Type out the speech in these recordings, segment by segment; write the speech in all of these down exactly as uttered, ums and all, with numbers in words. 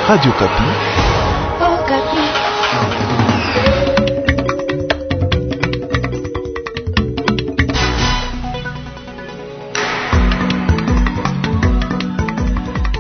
Radio Okapi. Okapi.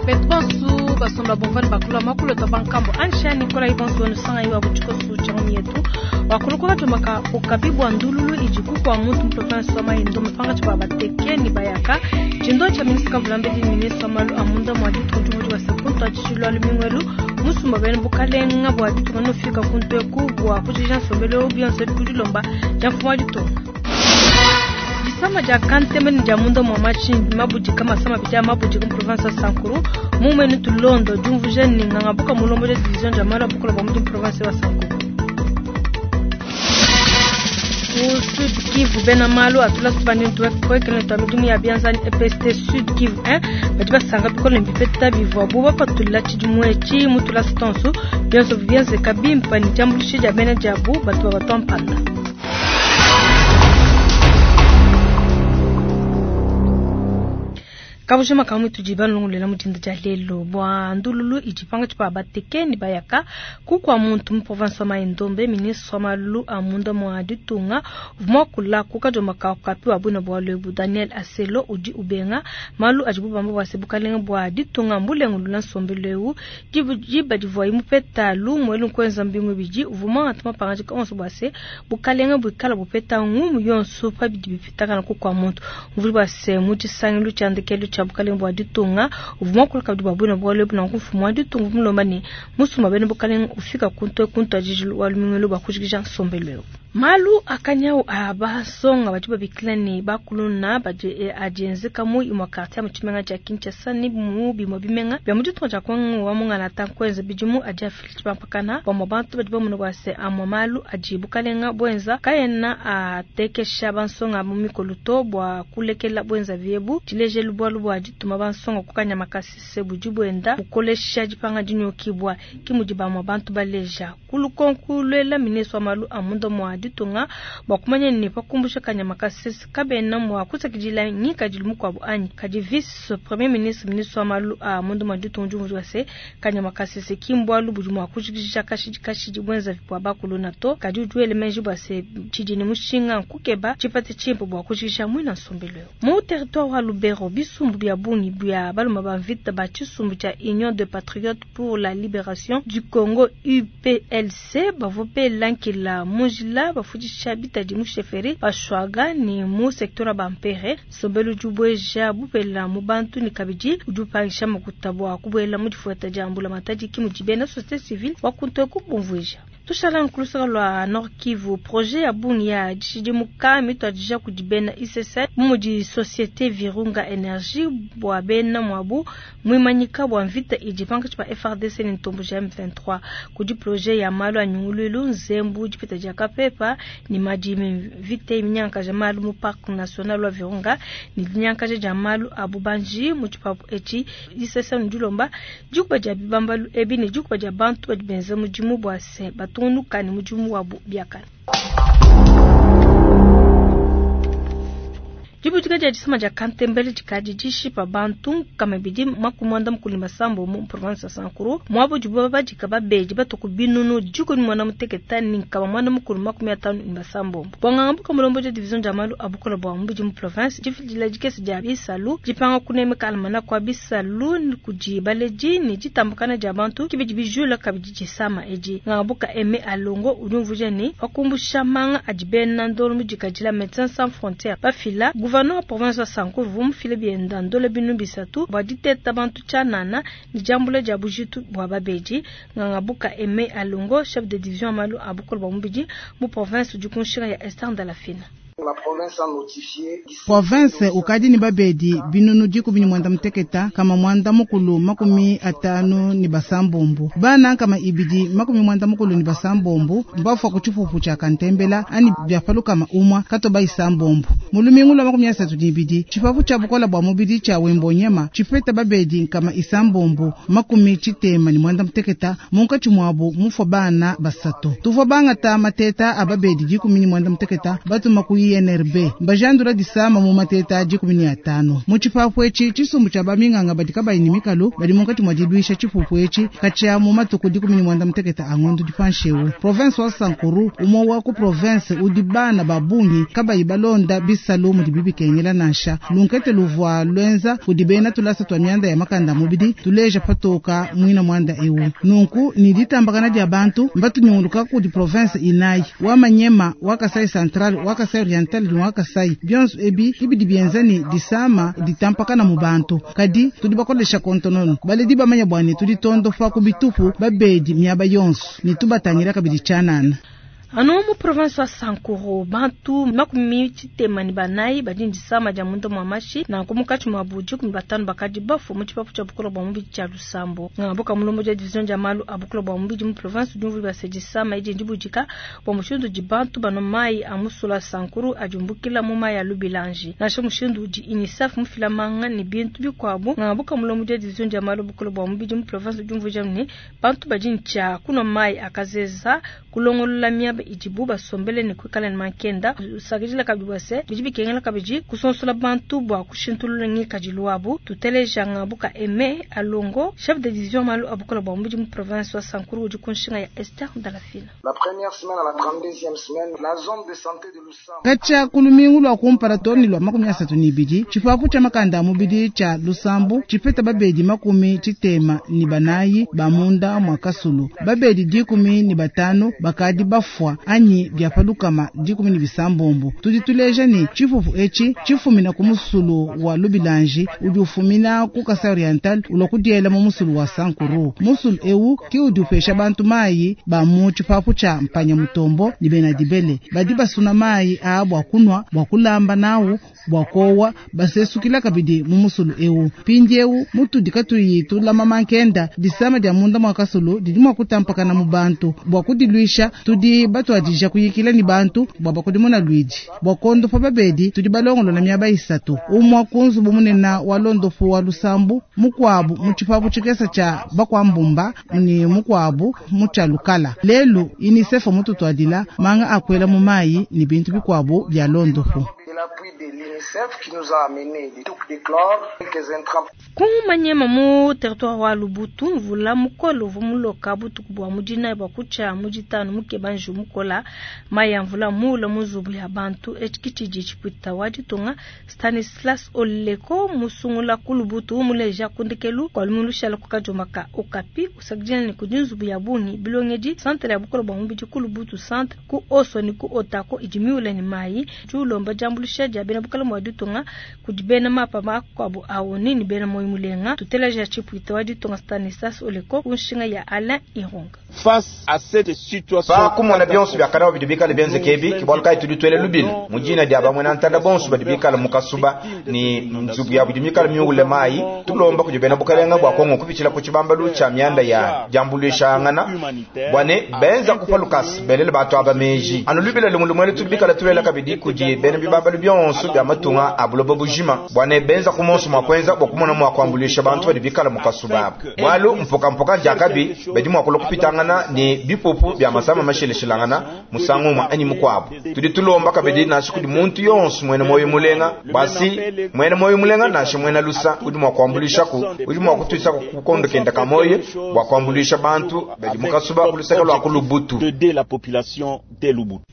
Betu basomba bomvani bakulu makulu to bankambo ansha Nicolas Ibonso nusanga iwa butshikosu tshangu yetu wakulukuka tumaka okapi bwa ndululu ijiku kwa muntu province wa Maindombe mupanga tshiba bateke ni bayaka tshindo tsha ministre kavulambedi ministre wa malu amunda mwa ditungu mudi wa sekuntu atshilwa lumingwelu musumba bene bukalenga bwa ditunga nufika kuntu eku bwa kujija nsombelo bionso bikudilomba dia mfumu wa ditunga. Disama dia kanteme ni dia munda mwa matshi mabudika masama bidia mabudika mu province ya Sankuru mumenu tulondo diumvuja ni nganga buka mulombo dia division dia malu abukola bwa mutu mu province wa Sankuru. Mu Sud Kivu bena malu atula subani ntuwe kwekele twa midimu ya bianzani E P S T Sud Kivu un badi basanga bikolo mbipeta bivua bu bapatula tshidimu etshi mutula sitonso bionso bienzeka bimpa ni diambuluisha dia bena diabu batu babatwa mpanda. Kabujima kamwe tujiba nlongolela mudinda dia lelo bwa ndululu idipanga tshipa bateke ni bayaka kukwa muntu mu province wa Maindombe ministre wa malu a munda mwa ditunga vumwa kula kuka joma ka kapi wa buna bwa lebu Daniel Aselo udi ubenga malu ajibu bamba bwa sebukalenga bwa ditunga mbulengu lula nsombeleu dibu diba divwa imupeta lu mwelu nkwenza mbingu bidi uvuma atuma pangajika onso bwa se bukalenga bukala bupeta ngumu yonso pa bidi bipitaka kukwa muntu mvuli bwa se mutshisangilu tshiandekelu tsha bukalenga bwa ditunga uvuma kula kabidi bwa bwina bwa lebu na mfumu wa ditunga mulomba ne musumba bene bukalenga ufika kuntu kuntu ajijilu wa lumingelo bwa kujikija nsombelo. Malu akanyau abasonga badi babikila ne bakuluna badi adienzeka mu imwa quartier mu tshimenga tshia Kinshasa ni mu bimwe bimenga bya mu ditunga tshia Kongo wa mungana ta kwenza bidimu adi afili tshipampakana bamwe bantu badi bamuna bwa se amwe malu adi bukalenga bwenza kayena atekesha bansonga mu mikolo to bwa kulekela bwenza biebu tshilejelu bwalu bwa dituma bansonga kukanya makasi se budi bwenda bukolesha dipanga dinyokibwa kimudi bamwe bantu baleja kulukonku lwela ministre wa malu amunda mwa ditunga bwa kumanya ni pakumbusha kanyama kasese kabena mwa kusakidila ngikadilu mukuabu anyi kadi vice premier ministre ministre wa malu a mundu mwa ditunga diumvu wa se kanyama kasese kimbwalu budi mwa kujikijisha kashidi kashidi bwenza bwa bakuluna to kadi uduele menji bwa se tshidi ni mushinga nkukeba tshipate tshimpe bwa kujikisha mwina nsombelo mu territoire wa Lubero bisumbu bya bungi bya baluma ba mvita ba tshisumbu tshia Union de Patriotes pour la Libération du Congo U P L C bavope lankila mujila bafundisha bitadi mu chefferie bashwaga ni mu secteur bampere sobelu jubweja bupela mu bantu ni kabidi ujupangisha makuta bwa kubwela mu difuata dia mbula matadi ki mu dibena société civile wakuntu kubumvuija. Tushala nkulusaka lwa Nord Kivu projet ya bungi ya dishidimuka mitwadija kudibena I C C mudi société Virunga Energie bwa bena mwabu mwimanyika bwa mvita idipanga tshipa F R D C ni ntombo ja M vingt-trois kudi projet ya malu anyungululu nzembu dipita dia kapepa ni madimi mvita iminyanka ja malu mu parc national wa Virunga ni dinyanka ja malu abubanji mu tshipapu etshi I C C ndulomba dikuba dia bibambalu ebi ni dikuba dia bantu badi benza mudimu bwa se batunukani mudimu wabu biakana. Dibutuka dia disama dia kantembele dikadi dishipa bantu nkama bidi makumwanda mukulu masambo mu province ya Sankuru mwabo dibuba badika babedi batuku binunu dikoni mwana muteketa ni nkama mwana mukulu makumi atanu ni masambo. Bwanganga buka mulombo dia division dia malu abukola bwa mubidi mu province difidila dikesi dia bisalu dipanga kunemeka almana kwa bisalu ni kudi baleji ni ditambukana dia bantu kibidi bijula kabidi disama edi. Nganga buka eme alongo udumvuja ni wakumbusha manga adibena ndolo mudikadila Médecins Sans Frontières bafila gouverneur wa province wa Sankuru vumufile bienda ndole binu bisatu bwa diteta bantu tshanana ni diambula dia bujitu bwa babedi. Nganga buka eme alongo chef de division malu abukola bwa mubidi mu province du Kunshira ya Esther Ndalafina. La province a notifié Province ukadi ni babedi binunu dikumi ni mwanda muteketa kama mwanda mukulu makumi atanu ni basambombo bana kama ibidi makumi mwanda mukulu ni basambombo mbafu kuchipupu cha kantembela ani byapalu kama umwa katoba isambombo mulumingu lwa makumi asatu ni ibidi chipapu cha bukola bwa mubidi cha wembonyema chipeta babedi kama isambombo makumi chitema ni mwanda muteketa munkachi mwabo mufo bana basatu tuvwa bangata mateta ababedi dikumi ni mwanda muteketa batu makuyi I N R B mbajandula disama mu mateta dikumi ne atanu. Mu tshipapu etshi tshisumbu tshia baminganga badi kabayi ne mikalu badi munkatshi mua diluisha tshipupu etshi katshia mu matuku dikumi ne muanda mutekete a ngondo dipanshewu. Province wa Sankuru umwe wa ku province udi bana ba bungi kabayi balonda bisalu mudi bibikengela nansha. Lunkete luvua lwenza kudi bena tulasa twa mianda ya makanda mubidi tuleja patoka mwina mwanda ewu. Nunku ni ditambakana dia bantu mbatunyunguluka kudi province inayi wa Manyema wa Kasai Central wa Kasai Oriental ni wa Kasai bionso ebi ibidi bienza ni disama ditampakana mu bantu kadi tudi bakolesha kontonono baledi bamanya bwani tudi tondo fa ku bitupu babedi miaba yonso ni tubatangira kabidi chanana. Ano mu province wa Sankuru bantu makumi tshitema ni banayi badi ndisama dia munda mwa mashi na nkumukatshi mwa buji kumi batanu bakadi bafu mu tshipapu tshia bukolo bwa mubidi tshia Lusambo. Ngabuka mulombo dia division dia malu a bukolo bwa mubidi mu province udi mvuli basedisama idi ndibujika bwa mushindu di bantu bano mayi a musula Sankuru ajumbukila mu mayi a Lubilanji. Nansha mushindu udi UNICEF mufila manga ni bintu bikuabu. Ngabuka mulombo dia division dia malu bukolo bwa mubidi mu province udi mvuli ne bantu badi ntshia kuno mayi akazeza kulongolola miaba idibu basombele ne kuikala ne mankenda usakidila kabidi bwase bidi bikengela kabidi kusonsola bantu bwa kushintulula ngikadilu wabu. Tuteleja ngabuka Aimé Alongo, chef de division malu abukola bwa mubidi mu province wa Sankuru udi kunshinga ya Esther Ndalafina. La première semaine à la trente-deuxième semaine, la zone de santé de Lusambo. Katshia kulumingu lwa kumpala toni lwa makumi asatu ni ibidi tshipapu tshia makanda a mubidi tshia Lusambo tshipeta babedi makumi tshitema ni banayi ba munda mwa kasulu babedi dikumi ni batanu bakadi bafwa anyi bya palukama dikumi ni bisambombo. Tudi tuleja ni tshifufu etshi tshifumina ku musulu wa Lubilanji udi ufumina ku Kasai Oriental ulwa kudiela mu musulu wa Sankuru. Musulu ewu ki udi upesha bantu mayi ba mu tshipapu tshia mpanya mutombo ni bena dibele badi basuna mayi a bwa kunwa bwa kulamba nawu bwa kowa basesukila kabidi mu musulu ewu. Pindi ewu mutudi katuyi tulama mankenda disama dia munda mwa kasulu didi mwa kutampakana mu bantu bwa kudilwisha tudi batwadija kuyikila ni bantu bwa bakudimuna lwidi bwa kondo pa babedi tudi balongolola miaba isatu umwa kunzubu munena wa londofu wa Lusambu mukwabu mu tshipapu tshikesa tshia bakwambumba ni mukwabu mu tshia Lukala. Lelu UNICEF mututwadila manga akwela mu mayi ni bintu bikwabu bya londofu. L'appui de l'UNICEF qui nous a amené des touques de chlore, quelques intrants. Kumanyema mu territoire wa Lubutu mvula mukolo vumuloka butuku bwa mudina bwa kucha mujitano mukebanju mukola maya mvula mula muzubu ya bantu echikitiji chipita waditunga Stanislas Oleko musungula kulubutu muleja kundikelu kwa lumulusha lokukajomaka okapi usakijana ni kujinzubu ya buni bilongedi centre ya bukolo bwa mubidi kulubutu centre ku oso ni ku otako idimiule ni mayi julomba jambulusha ja bena bukala mwa ditunga kudi bena mapa makuabu awoni ni bena moyo mulenga tuteleja chipwita wa ditunga Stanislas Oleko kunshinga ya Alain Ironga. Face à cette situation pa kumona bionso byakana bidibikala benze kebi kibwaluka ituditwele lubili mujina dia bamwe na ntanda bonso badibikala mukasuba ni nzubu ya budimikala miule mai tulomba kudi bena bukalenga bwa Kongo kupichila ku chibambalu cha mianda ya jambulishangana bwane benza kupa lukasi belele batu aba meji anu lubila lumulumwele tudibikala tuwela kabidi kudi bena bibambalu bionso bya matunga abulobo bujima bwane benza kumonso mwakwenza bwakumona mwakwambulisha bantu badibikala mukasuba bwalu mpoka mpoka jakabi bedi mwakula kupitangana ni bipupu bya masama masheleshilangana musango mwa anyi mukwabu tudi tulomba kabidi nashi kudi muntu yonso mwene moyo mulenga basi mwene moyo mulenga nashi mwene lusa udi mwakwambulisha ku udi mwakutwisa kukondo kenda kamoye bwakwambulisha bantu bedi mukasuba kulusaka lwa kulubutu de la population de Lubutu.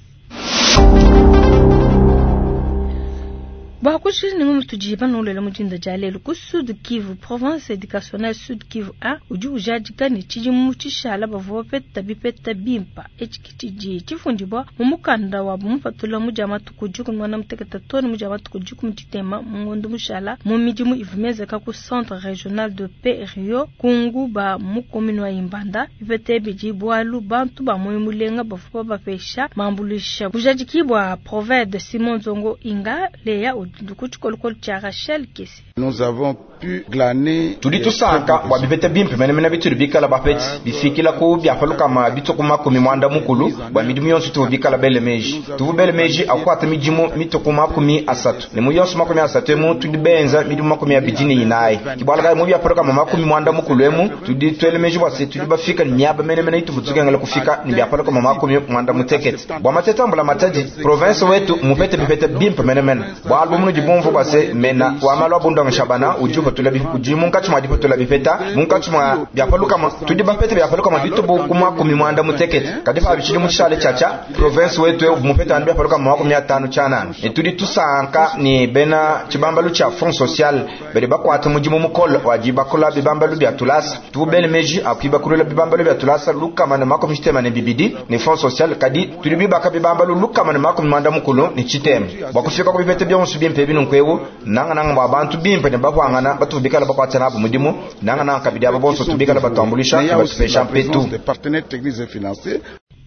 Bakushiri ni mutuji banolela mujinda jalelu ku Sud Kivu province éducationnelle Sud Kivu A udi ujadika ni tshidimu tshishala bavua bapeta bipeta bimpa etshi tshifundibwa mu mukanda wa bumupatula mu dia matuku dikumi muanda mutekete too mu dia matuku dikumi tshitema mu ngondo mushala mu midimu ivumezeka ku centre régional de paix Rio Kungu ba mu commune wa Imbanda bipeta bidi bwalu bantu ba moyo mulenga bavua bapesha mambulisha bujadiki bwa provede Simon Zongo Inga Leya Ku tshikolokolo tshia Rachel Kesi. Nous avons pu glaner tudi tusanka bua bipeta bimpe menemene bitudi bikala bapete bifikila ku biapalukama bituku makumi mwanda mukulu bua midimu yonso tuvu bikala bele meji tuvu bele meji akuata midimu mituku makumi asatu ne mu yonso makumi asatu emu tudi benza midimu makumi abidi ne inayi kibwalakayi mu biapalukama makumi mwanda mukulu emu tudi tuele meji bua se tudi bafika ne miaba menemene ituvu tukengela kufika ne biapalukama makumi mwanda mutekete bua matete ambula matadi province wetu mupete bipete bimpe menemene bua albumu nudi bumvu bua se mena wa malu abundonga shabana udi upatula udi munkatshi mua dipatula bipeta munkatshi mua biapalukama tudi bapete biapalukama bitubu ku makumi mwanda mutekete kadi pa bitshidi mu tshishale tshiatshia province wetu eu mupete anu biapalukama makumi atanu tshianana ne tudi tusanka ne bena tshibambalu tshia fond social badi bakuata mudimu mukole wa dibakula bibambalu bia tulasa tubele meji akuibakulula bibambalu bia tulasa lukama ne makumi tshitema ne bibidi ne fond social kadi tudi bibaka bibambalu lukama ne makumi mwanda mukulu ne tshitema bua kufika ku bipete bionso bimpe binunku nanga nanga bua bantu bimpe ne bapuangana batu bikala bakuata nabo mudimu nanga nanga kabidi aba bonso tubikala batuambulisha ne batupesha mpetu.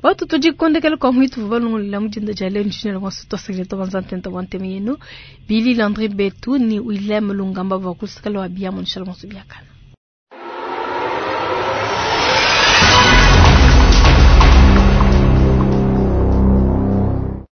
Watu tudikondekela kwa mwitu valongolela mudinda dia lelo ntshina kwa soto secreto banzantenta wa nteme yenu Billy Landry Betu ni Willem Lungamba va kusikala wa bia munshala monso biakana.